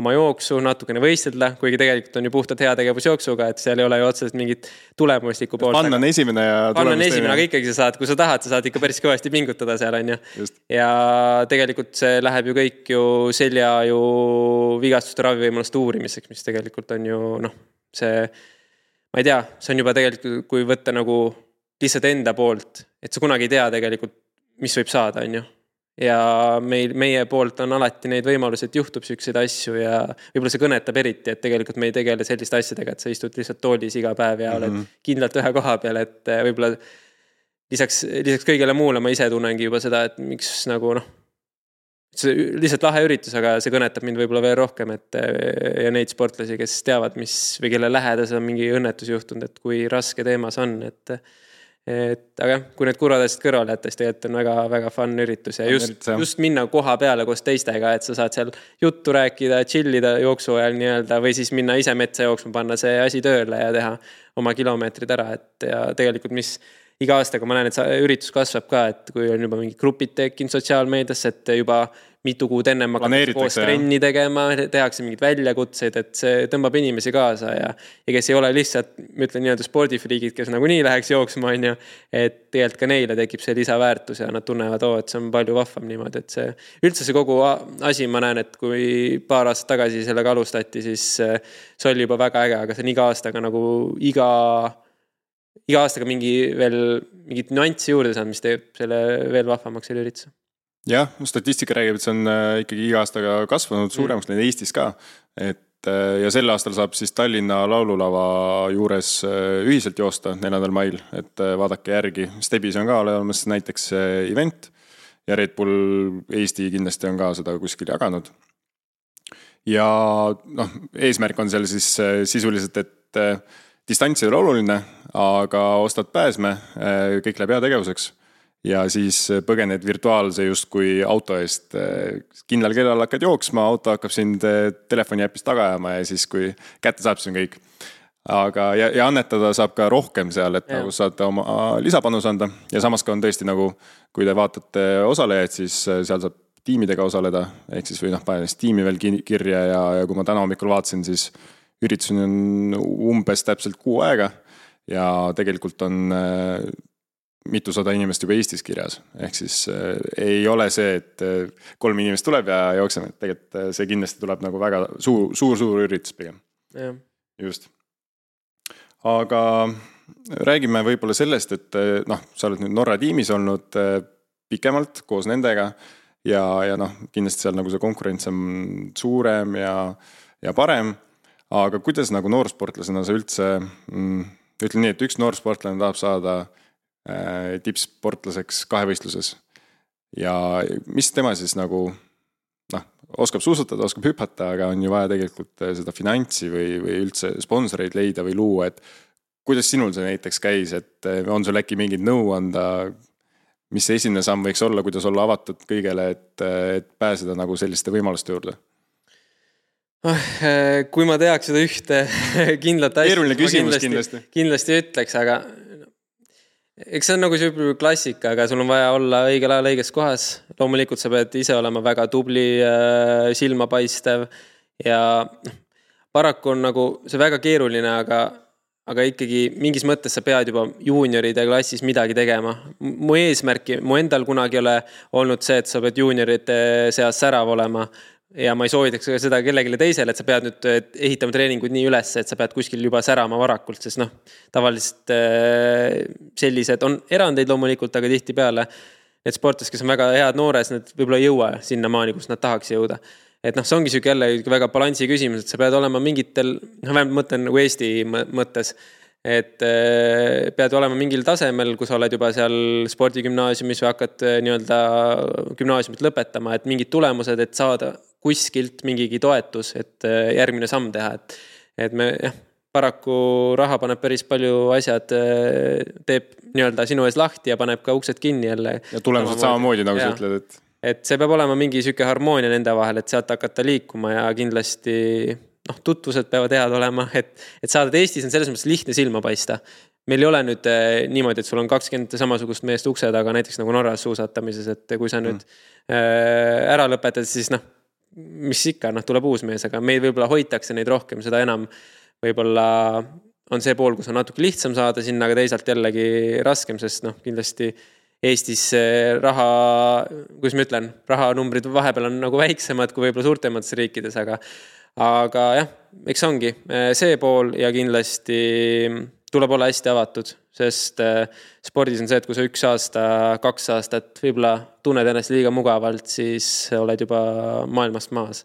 oma jooksu, natukene võistelda, kuigi tegelikult on ju puhtalt hea tegevus jooksuga, et seal ei ole ju otseselt mingit tulemuslikku poolt. Pann on esimene ja Pann on esimene, aga ikkagi sa saad, kui sa tahad, sa saad ikka päris kõvasti pingutada seal, on ju. Ja tegelikult see läheb ju kõik ju selja ju vigastuste ravivõimaluste uurimiseks, mis tegelikult on ju, noh, see, ma ei tea, see on juba tegelikult, kui võtta nagu lihtsalt enda poolt, et sa kunagi ei tea tegelikult, mis võib saada, on ju. Ja meil, meie poolt on alati neid võimalusi, et juhtub selliseid asju ja võib-olla see kõnetab eriti, et tegelikult me ei tegele selliste asjadega, et sa istud lihtsalt toolis iga päev ja oled mm-hmm. kindlalt ühe koha peal, et võib-olla lisaks, lisaks kõigele muule ma ise tunnengi juba seda, et miks nagu noh, see lihtsalt lahe üritus, aga see kõnetab mind võib-olla veel rohkem, et ja neid sportlasi, kes teavad, mis või kelle lähedas on mingi õnnetus juhtunud, et kui raske teemas on, et et aga kui need kurvad asjad kõrvale jätta, siis tegelikult on väga, väga fun üritus ja just, just minna koha peale koos teistega, et sa saad seal juttu rääkida, chillida jooksu ajal nii-öelda või siis minna ise metsa jooksma, panna see asi tööle ja teha oma kilomeetrid ära, et ja tegelikult mis iga aastaga ma näen, et see üritus kasvab ka, et kui on juba mingi grupid tekkinud sotsiaalmeediasse, et juba mitu kuud enne ma koos trenni tegema, tehakse mingid väljakutseid, et see tõmbab inimesi kaasa ja, ja kes ei ole lihtsalt, ma ütlen nii-öelda spordifriigid, kes nagu nii läheks jooksma, on ju, et tegelikult ka neile tekib see lisaväärtus ja nad tunnevad, oo, et see on palju vahvam niimoodi, et see üldse see kogu asi, ma näen, et kui paar aastat tagasi sellega alustati, siis see oli juba väga äge, aga see on iga aastaga nagu iga iga aastaga mingi veel mingit nüanssi juurde saanud, mis teeb selle veel vahvamaks selle ürituse. Jah, statistika räägib, et see on ikkagi iga aastaga kasvanud suuremaks mm. Eestis ka. Et, ja sel aastal saab siis Tallinna laululava juures ühiselt joosta neljandal mail, et vaadake järgi. Stebis on ka olemas näiteks event ja Red Bull Eesti kindlasti on ka seda kuskil jaganud. ja noh, eesmärk on seal siis sisuliselt, et distants ei ole oluline, aga ostad pääsme, kõik läheb heategevuseks ja siis põgened virtuaalse justkui auto eest. Kindlal kellal hakkad jooksma, auto hakkab sind telefoni äpist taga ajama ja siis kui kätte saab, siis on kõik. Aga ja, ja annetada saab ka rohkem seal, et ja. Nagu saad oma lisapanus anda ja samas ka on tõesti nagu, kui te vaatate osalejaid, siis seal saab tiimidega osaleda, ehk siis või noh, panelis tiimi veel kirja ja, ja kui ma täna hommikul vaatasin, siis üritusin on umbes täpselt kuu aega ja tegelikult on mitusada inimest juba Eestis kirjas. Ehk siis äh, ei ole see, et äh, kolm inimest tuleb ja jookseme, et tegelikult äh, see kindlasti tuleb nagu väga suur, suur, suur üritus pigem. Ja. Just. Aga räägime võib-olla sellest, et noh, sa oled nüüd Norra tiimis olnud pikemalt koos nendega ja, ja noh, kindlasti seal nagu see konkurents on suurem ja, ja parem, aga kuidas nagu noorsportlasena sa üldse, mm, ütlen nii, et üks noorsportlane tahab saada äh, tippsportlaseks kahevõistluses ja mis tema siis nagu noh, oskab suusatada, oskab hüpata, aga on ju vaja tegelikult seda finantsi või, või üldse sponsoreid leida või luua, et kuidas sinul see näiteks käis, et on sul äkki mingid nõu anda, mis see esimene samm võiks olla, kuidas olla avatud kõigele, et, et pääseda nagu selliste võimaluste juurde? Kui ma teaks seda ühte kindlat asja, Keeruline küsimus kindlasti, kindlasti. kindlasti ütleks, aga eks see on nagu see klassika, aga sul on vaja olla õigel ajal õiges kohas. Loomulikult sa pead ise olema väga tubli, silmapaistev ja paraku on nagu see väga keeruline, aga, aga ikkagi mingis mõttes sa pead juba juunioride klassis midagi tegema. Mu eesmärki, mu endal kunagi ole olnud see, et sa pead juuniorite seas särav olema ja ma ei soovitaks seda kellelegi teisele, et sa pead nüüd ehitama treeningud nii üles, et sa pead kuskil juba särama varakult, sest noh, tavaliselt sellised on erandeid loomulikult, aga tihti peale need sportlased, kes on väga head noores, need võib-olla ei jõua sinna maani, kus nad tahaks jõuda. Et noh, see ongi süük jälle väga balansi küsimus, et sa pead olema mingitel, noh, vähemalt mõtlen nagu Eesti mõttes, et pead olema mingil tasemel, kus oled juba seal spordigümnaasiumis või hakkad nii-öelda gümnaasiumit lõpetama, et mingid tulemused, et saada kuskilt mingigi toetus, et järgmine samm teha, et, et me jah, paraku raha paneb päris palju asjad, teeb nii-öelda sinu ees lahti ja paneb ka uksed kinni jälle. Ja tulemused samamoodi, nagu sa ütled, et et see peab olema mingi süke harmoonia nende vahel, et sealt hakata liikuma ja kindlasti noh, tutvused peavad head olema, et, et saada, et Eestis on selles mõttes lihtne silma paista. Meil ei ole nüüd niimoodi, et sul on kakskümmend samasugust meest ukse taga, näiteks nagu Norras suusatamises, et kui sa nüüd mm. ära lõpetad, siis noh, mis ikka, noh, tuleb uus mees, aga meil võib-olla hoitakse neid rohkem, seda enam võib-olla on see pool, kus on natuke lihtsam saada sinna, aga teisalt jällegi raskem, sest noh, kindlasti Eestis raha, kuidas ma ütlen, rahanumbrid vahepeal on nagu väiksemad kui võib-olla suurtemates riikides, aga, aga jah, eks ongi see pool ja kindlasti tuleb olla hästi avatud, sest spordis on see, et kui sa üks aasta, kaks aastat võib-olla tunned ennast liiga mugavalt, siis oled juba maailmast maas.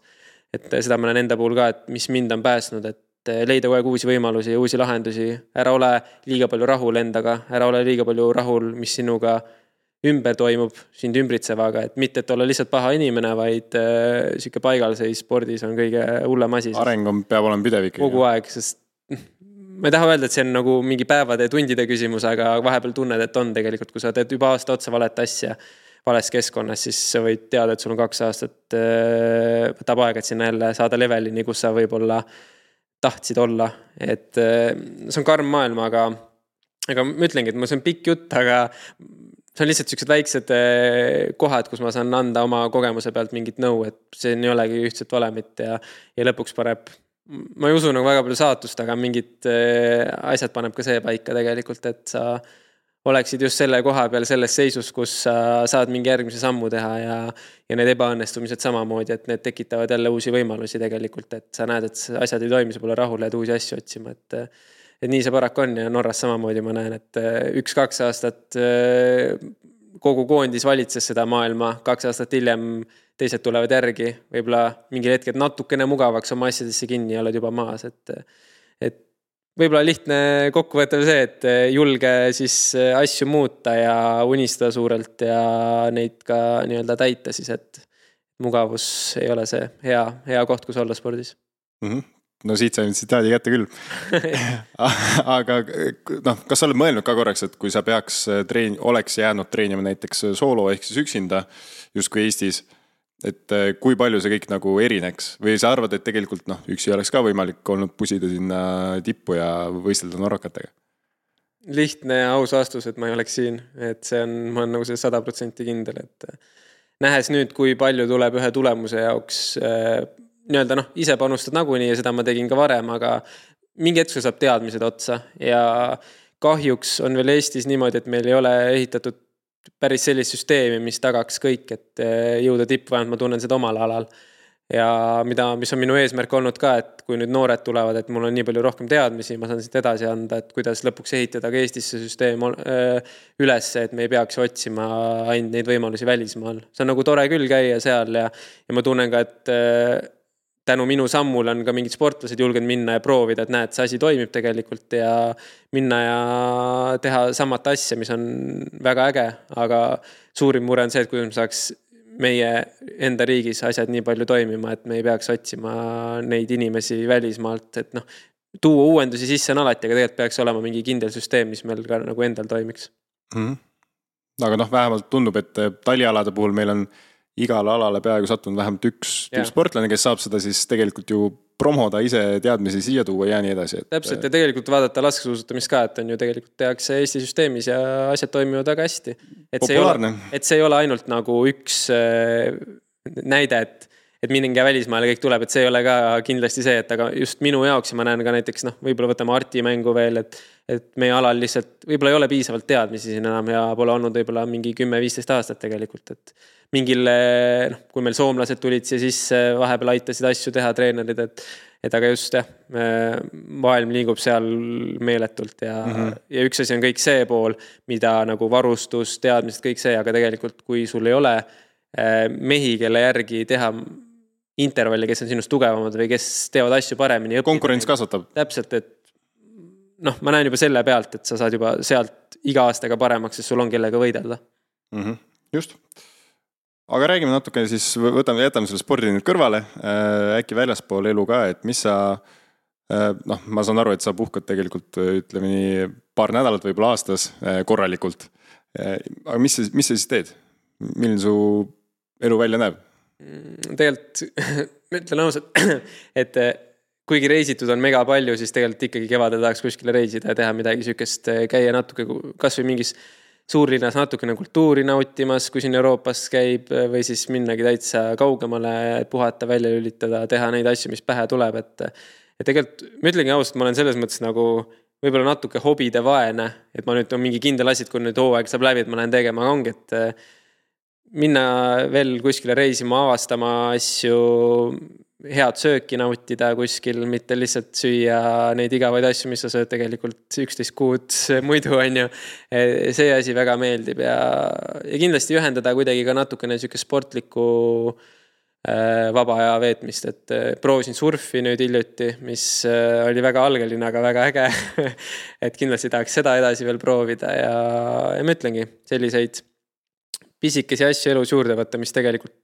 Et seda ma näen enda puhul ka, et mis mind on pääsnud, et leida kogu aeg uusi võimalusi ja uusi lahendusi. Ära ole liiga palju rahul endaga, ära ole liiga palju rahul, mis sinuga ümber toimub sind ümbritsevaga, et mitte, et olla lihtsalt paha inimene, vaid äh, siuke paigalseis spordis on kõige hullem asi. Areng on, peab olema pidev ikkagi. Kogu aeg, sest ma ei taha öelda, et see on nagu mingi päevade ja tundide küsimus, aga vahepeal tunned, et on tegelikult, kui sa teed juba aasta otsa valet asja vales keskkonnas, siis sa võid teada, et sul on kaks aastat äh, võtab aega, et sinna jälle saada levelini, kus sa võib-olla tahtsid olla. Et äh, see on karm maailm, aga, aga ma ütlengi, et ma see on pikk jutt, aga see on lihtsalt sellised väiksed kohad, kus ma saan anda oma kogemuse pealt mingit nõu, et see ei olegi ühtset valemit ja, ja lõpuks paneb, ma ei usu nagu väga palju saatust, aga mingid asjad paneb ka see paika tegelikult, et sa oleksid just selle koha peal selles seisus, kus sa saad mingi järgmise sammu teha ja, ja need ebaõnnestumised samamoodi, et need tekitavad jälle uusi võimalusi tegelikult, et sa näed, et asjad ei toimi, sa pole rahul ja uusi asju otsima, et et nii see paraku on ja Norras samamoodi ma näen, et üks-kaks aastat kogu koondis valitses seda maailma, kaks aastat hiljem teised tulevad järgi, võib-olla mingil hetkel natukene mugavaks oma asjadesse kinni ja oled juba maas, et, et võib-olla lihtne kokkuvõttev see, et julge siis asju muuta ja unistada suurelt ja neid ka nii-öelda täita siis, et mugavus ei ole see hea, hea koht, kus olla spordis. Mm-hmm. No siit sain tsitaadi kätte küll. Aga noh, kas sa oled mõelnud ka korraks, et kui sa peaks treen, oleks jäänud treenima näiteks soolo ehk siis üksinda justkui Eestis, et kui palju see kõik nagu erineks või sa arvad, et tegelikult noh, üksi oleks ka võimalik olnud pusida sinna tippu ja võistelda norrakatega? Lihtne ja aus vastus, et ma ei oleks siin, et see on, ma olen nagu see sada protsenti kindel, et nähes nüüd, kui palju tuleb ühe tulemuse jaoks nii-öelda noh, ise panustad nagunii ja seda ma tegin ka varem, aga mingi hetk saab teadmised otsa ja kahjuks on veel Eestis niimoodi, et meil ei ole ehitatud päris sellist süsteemi, mis tagaks kõik, et jõuda tippu, vähemalt ma tunnen seda omal alal. Ja mida, mis on minu eesmärk olnud ka, et kui nüüd noored tulevad, et mul on nii palju rohkem teadmisi, ma saan siit edasi anda, et kuidas lõpuks ehitada ka Eestis see süsteem üles, et me ei peaks otsima ainult neid võimalusi välismaal. See on nagu tore küll käia seal ja, ja ma tunnen ka, et tänu minu sammul on ka mingid sportlased julgenud minna ja proovida, et näed, see asi toimib tegelikult ja minna ja teha samat asja, mis on väga äge, aga suurim mure on see, et kuidas me saaks meie enda riigis asjad nii palju toimima, et me ei peaks otsima neid inimesi välismaalt, et noh, tuua uuendusi sisse on alati, aga tegelikult peaks olema mingi kindel süsteem, mis meil ka nagu endal toimiks. Mm-hmm. Aga noh, vähemalt tundub, et talialade puhul meil on igal alale peaaegu sattunud vähemalt üks sportlane, kes saab seda siis tegelikult ju promoda ise teadmisi siia tuua ja nii edasi. Et... Täpselt ja tegelikult vaadata laskesuusatamist ka, et on ju tegelikult tehakse Eesti süsteemis ja asjad toimivad väga hästi. Et see, ole, et see ei ole ainult nagu üks näide, et, et mingi välismaale kõik tuleb, et see ei ole ka kindlasti see, et aga just minu jaoks ja ma näen ka näiteks, noh, võib-olla võtame Arti mängu veel, et, et meie alal lihtsalt võib-olla ei ole piisavalt teadmisi siin enam ja pole olnud võib-olla mingi kümme viisteist aastat tegelikult, et mingil, noh, kui meil soomlased tulid siia sisse, vahepeal aitasid asju teha treenerid, et, et aga just jah, maailm liigub seal meeletult ja, mm-hmm. ja üks asi on kõik see pool, mida nagu varustus, teadmised, kõik see, aga tegelikult kui sul ei ole mehi, kelle järgi teha intervalli, kes on sinust tugevamad või kes teevad asju paremini. Konkurents kasvatab. Täpselt, et noh, ma näen juba selle pealt, et sa saad juba sealt iga aastaga paremaks, sest sul on kellega võidelda. Mm-hmm. Just. Aga räägime natuke siis, võtame, jätame selle spordi nüüd kõrvale, äkki väljaspool elu ka, et mis sa, noh, ma saan aru, et sa puhkad tegelikult, ütleme nii, paar nädalat võib-olla aastas korralikult. Aga mis, mis sa siis teed? Milline su elu välja näeb? Tegelikult, ma ütlen ausalt, et kuigi reisitud on mega palju, siis tegelikult ikkagi kevadel tahaks kuskile reisida ja teha midagi sükest, käia natuke kas või mingis suurlinnas natukene kultuuri nautimas, kui siin Euroopas käib või siis minnagi täitsa kaugemale, puhata, välja lülitada, teha neid asju, mis pähe tuleb, et, et tegelikult, ma ütlengi ausalt, ma olen selles mõttes nagu võib-olla natuke hobide vaene, et ma nüüd on mingi kindel asi, et kui nüüd hooaeg saab läbi, et ma lähen tegema, ongi, et minna veel kuskile reisima, avastama asju, head sööki nautida kuskil, mitte lihtsalt süüa neid igavaid asju, mis sa sööd tegelikult üksteist kuud muidu on ju. See asi väga meeldib ja, ja kindlasti ühendada kuidagi ka natukene siuke sportliku äh, vaba aja veetmist, et äh, proovisin surfi nüüd hiljuti, mis äh, oli väga algeline, aga väga äge. Et kindlasti tahaks seda edasi veel proovida ja, ja ma ütlengi selliseid pisikesi asju elus juurde võtta, mis tegelikult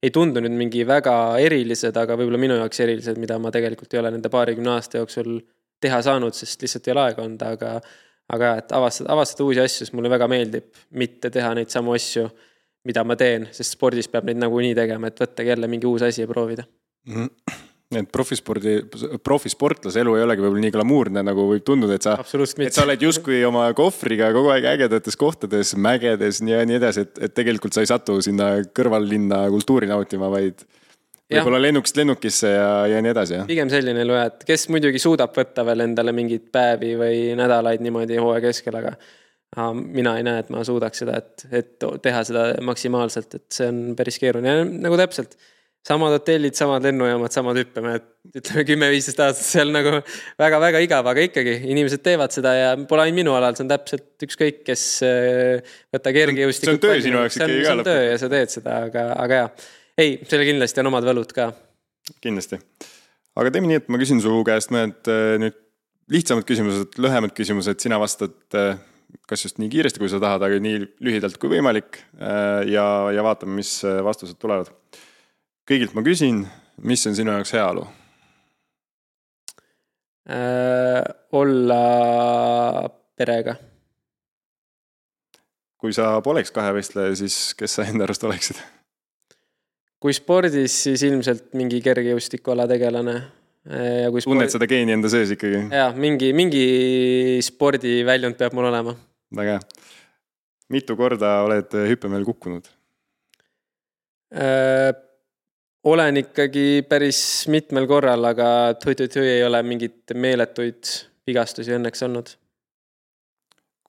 ei tundu nüüd mingi väga erilised, aga võib-olla minu jaoks erilised, mida ma tegelikult ei ole nende paarikümne aasta jooksul teha saanud, sest lihtsalt ei ole aega olnud, aga, aga et avastada, avastada uusi asju, sest mulle väga meeldib mitte teha neid samu asju, mida ma teen, sest spordis peab neid nagu nii tegema, et võtta jälle mingi uus asi ja proovida. Mm-hmm. Et profispordi, profisportlase elu ei olegi võib-olla nii glamuurne, nagu võib tunduda, et sa, et sa oled justkui oma kohvriga kogu aeg ägedates kohtades, mägedes ja nii edasi, et, et tegelikult sa ei satu sinna kõrvallinna kultuuri nautima, vaid võib-olla lennukist lennukisse ja, ja nii edasi. Ja? Pigem selline elu, et kes muidugi suudab võtta veel endale mingid päevi või nädalaid niimoodi hooaja keskel, aga mina ei näe, et ma suudaks seda, et, et teha seda maksimaalselt, et see on päris keeruline. Nagu täpselt samad hotellid, samad lennujaamad, samad hüppeme, et ütleme kümme viisteist aastat seal nagu väga-väga igav, aga ikkagi inimesed teevad seda ja pole ainult minu alal, see on täpselt ükskõik, kes võtta kergejõustikut. See on töö sinu jaoks ikkagi iga lõpp. See on töö ja sa teed seda, aga, aga jah. Ei, selle kindlasti on omad võlud ka. Kindlasti. Aga teeme nii, et ma küsin su käest mõned nüüd lihtsamad küsimused, lühemad küsimused, sina vastad kas just nii kiiresti, kui sa tahad, aga nii lühidalt kui võimalik ja, ja vaatame, mis vastused tulevad. kõigilt ma küsin, mis on sinu jaoks heaolu? Äh, olla perega. Kui sa poleks kahevõistleja, siis kes sa enda arust oleksid? Kui spordis, siis ilmselt mingi kergejõustikuala tegelane. Ja kui Tunned sport... seda geeni enda sees ikkagi? Jaa, mingi, mingi spordiväljund peab mul olema. Väga. Mitu korda oled hüppemeel kukkunud? Äh, olen ikkagi päris mitmel korral, aga tui-tui-tui ei ole mingit meeletuid vigastusi õnneks olnud.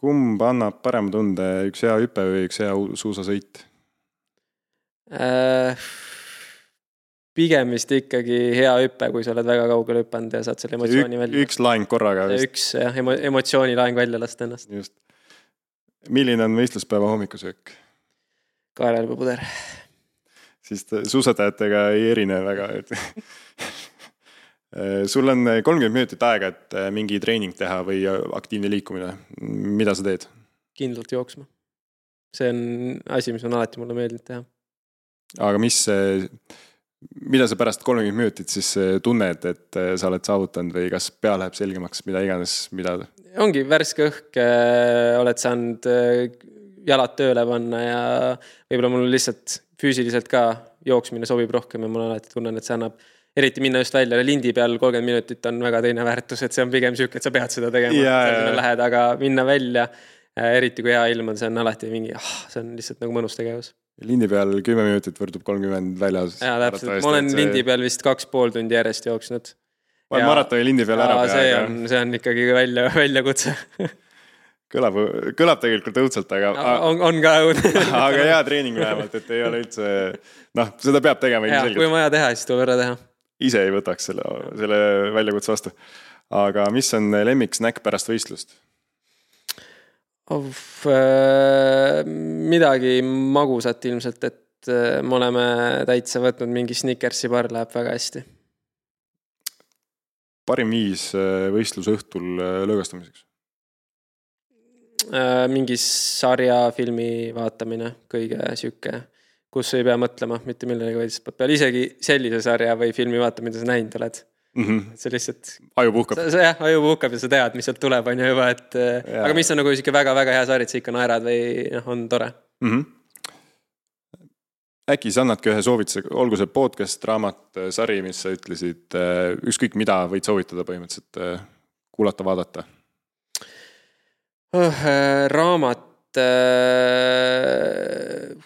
Kumb annab parem tunde, üks hea hüpe või üks hea suusasõit? Äh, pigem vist ikkagi hea hüpe, kui sa oled väga kaugel hüpanud ja saad selle emotsiooni Ük, välja. Üks laeng korraga vist. Üks jah, emo, emotsiooni laeng välja lasta ennast. Just. Milline on võistluspäeva hommikusöök? Kaarelpupuder. Siis suusatajatega ei erine väga. Sul on kolmkümmend minutit aega, et mingi treening teha või aktiivne liikumine. Mida sa teed? Kindlalt jooksma. See on asi, mis on alati mulle meeldinud teha. Aga mis, mida sa pärast kolmkümmend minutit siis tunned, et sa oled saavutanud või kas pea läheb selgemaks, mida iganes, mida? Ongi värske õhk, oled saanud jalad tööle panna ja võib-olla mul lihtsalt füüsiliselt ka jooksmine sobib rohkem ja mul alati tunnen, et see annab eriti minna just välja lindi peal kolmkümmend minutit on väga teine väärtus, et see on pigem süük, et sa pead seda tegema, ja, ja, ja. Lähed, aga minna välja, eriti kui hea ilm on, see on alati mingi, ah, see on lihtsalt nagu mõnus tegevus. Lindi peal kümme minutit võrdub kolmkümmend väljas. Ja, täpselt, ma olen see... lindi peal vist kaks pool tundi järjest jooksnud. Ma olen maratoni lindi peal ära pea. See on, see on ikkagi välja, välja kutse. Kõlab, kõlab tegelikult õudselt, aga... On, on ka õud. Aga hea treening vähemalt, et ei ole üldse... Noh, seda peab tegema ja, kui on vaja teha, siis tuleb ära teha. Ise ei võtaks selle, selle väljakutse vastu. Aga mis on lemmik snäkk pärast võistlust? Of, äh, midagi magusat ilmselt, et äh, me oleme täitsa võtnud mingi Snickersi bar läheb väga hästi. Parim viis võistluse õhtul lõõgastamiseks? Mingi sarja filmi vaatamine, kõige süke, kus ei pea mõtlema mitte millegi, vaid peal isegi sellise sarja või filmi vaata, mida sa näinud oled. Mm-hmm. See lihtsalt... Aju puhkab. Sa, jah, aju puhkab ja sa tead, mis sealt tuleb, on ju juba, et... Ja. Aga mis on nagu isegi väga-väga hea sari, et sa ikka naerad või noh, on tore. Mm-hmm. Äkki sa annadki ühe soovituse, olgu see podcast, raamat, sari, mis sa ütlesid, ükskõik mida võid soovitada põhimõtteliselt kuulata, vaadata? Oh, äh, raamat äh,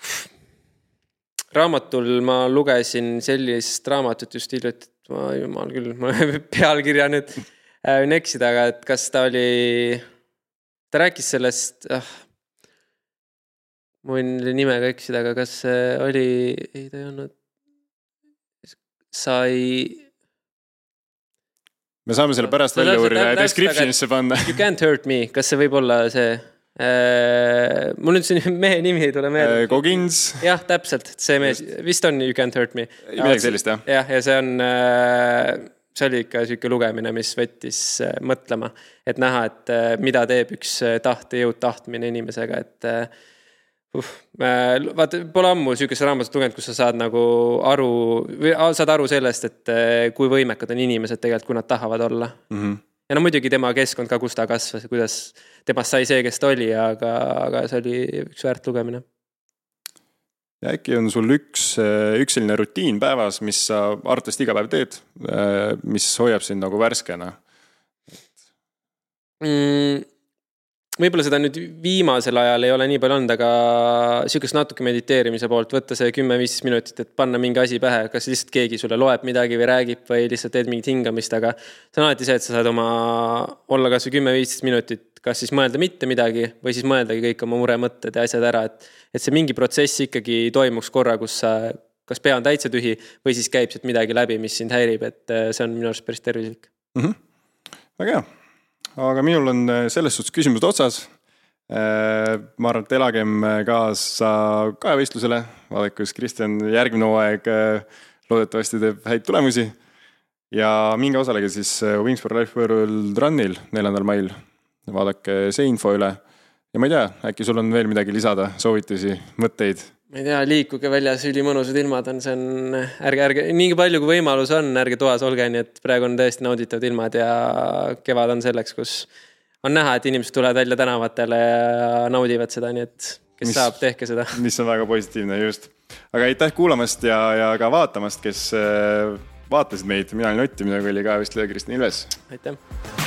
raamatul ma lugesin sellist raamatut just hiljuti, et ma jumal küll, ma pealkirja nüüd äh, eksida, aga et kas ta oli ta rääkis sellest ah, ma võin nimega eksida, aga kas oli ei ta ei olnud sai me saame selle pärast välja uurida ja descriptionisse panna. You can't hurt me. Kas see võib olla see... Äh, mul nüüd see mehe nimi ei tule meelde. Kogins. Jah, täpselt. See mees, vist on You can't hurt me. Midagi sellist, jah. Jah, ja see on... See oli ikka selline lugemine, mis võttis mõtlema. Et näha, et mida teeb üks tahte jõud tahtmine inimesega. Et... Uh, vaata, pole ammu süükest raamatut lugenud, kus sa saad nagu aru, või saad aru sellest, et kui võimekad on inimesed tegelikult, kui nad tahavad olla. Mm-hmm. Ja no muidugi tema keskkond ka, kus ta kasvas ja kuidas temast sai see, kes ta oli, aga, aga see oli üks väärt lugemine. Ja äkki on sul üks, üks selline rutiin päevas, mis sa arvatavasti iga päev teed, mis hoiab sind nagu värskena? Mm. Võib-olla seda nüüd viimasel ajal ei ole nii palju olnud, aga sükest natuke mediteerimise poolt võtta see kümme viis minutit, et panna mingi asi pähe, kas lihtsalt keegi sulle loeb midagi või räägib või lihtsalt teed mingit hingamist, aga see on alati see, et sa saad oma olla kas või kümme viis minutit, kas siis mõelda mitte midagi või siis mõeldagi kõik oma muremõtted ja asjad ära, et, et see mingi protsess ikkagi toimuks korra, kus sa kas pea on täitsa tühi või siis käib siit midagi läbi, mis sind häirib, et see on minu arust päris tervislik. Mm-hmm. Väga hea. Aga minul on selles suhtes küsimused otsas. Ma arvan, et elagem kaasa kahevõistlusele. Vaadake, kus Kristjan järgmine hooaeg loodetavasti teeb häid tulemusi. Ja minge osalege siis Wings for Life World Runil neljandal mail. Vaadake see info üle. Ja ma ei tea, äkki sul on veel midagi lisada, soovitusi, mõtteid? ma ei tea, liikuge väljas, ülimõnusad ilmad on, see on, ärge, ärge, nii palju kui võimalus on, ärge toas olge, nii et praegu on tõesti nauditavad ilmad ja kevad on selleks, kus on näha, et inimesed tulevad välja tänavatele ja naudivad seda, nii et kes mis, saab, tehke seda. Mis on väga positiivne just. Aga aitäh kuulamast ja, ja ka vaatamast, kes vaatasid meid. Mina olin Ott, minuga oli ka vist Kristjan Ilves. Aitäh!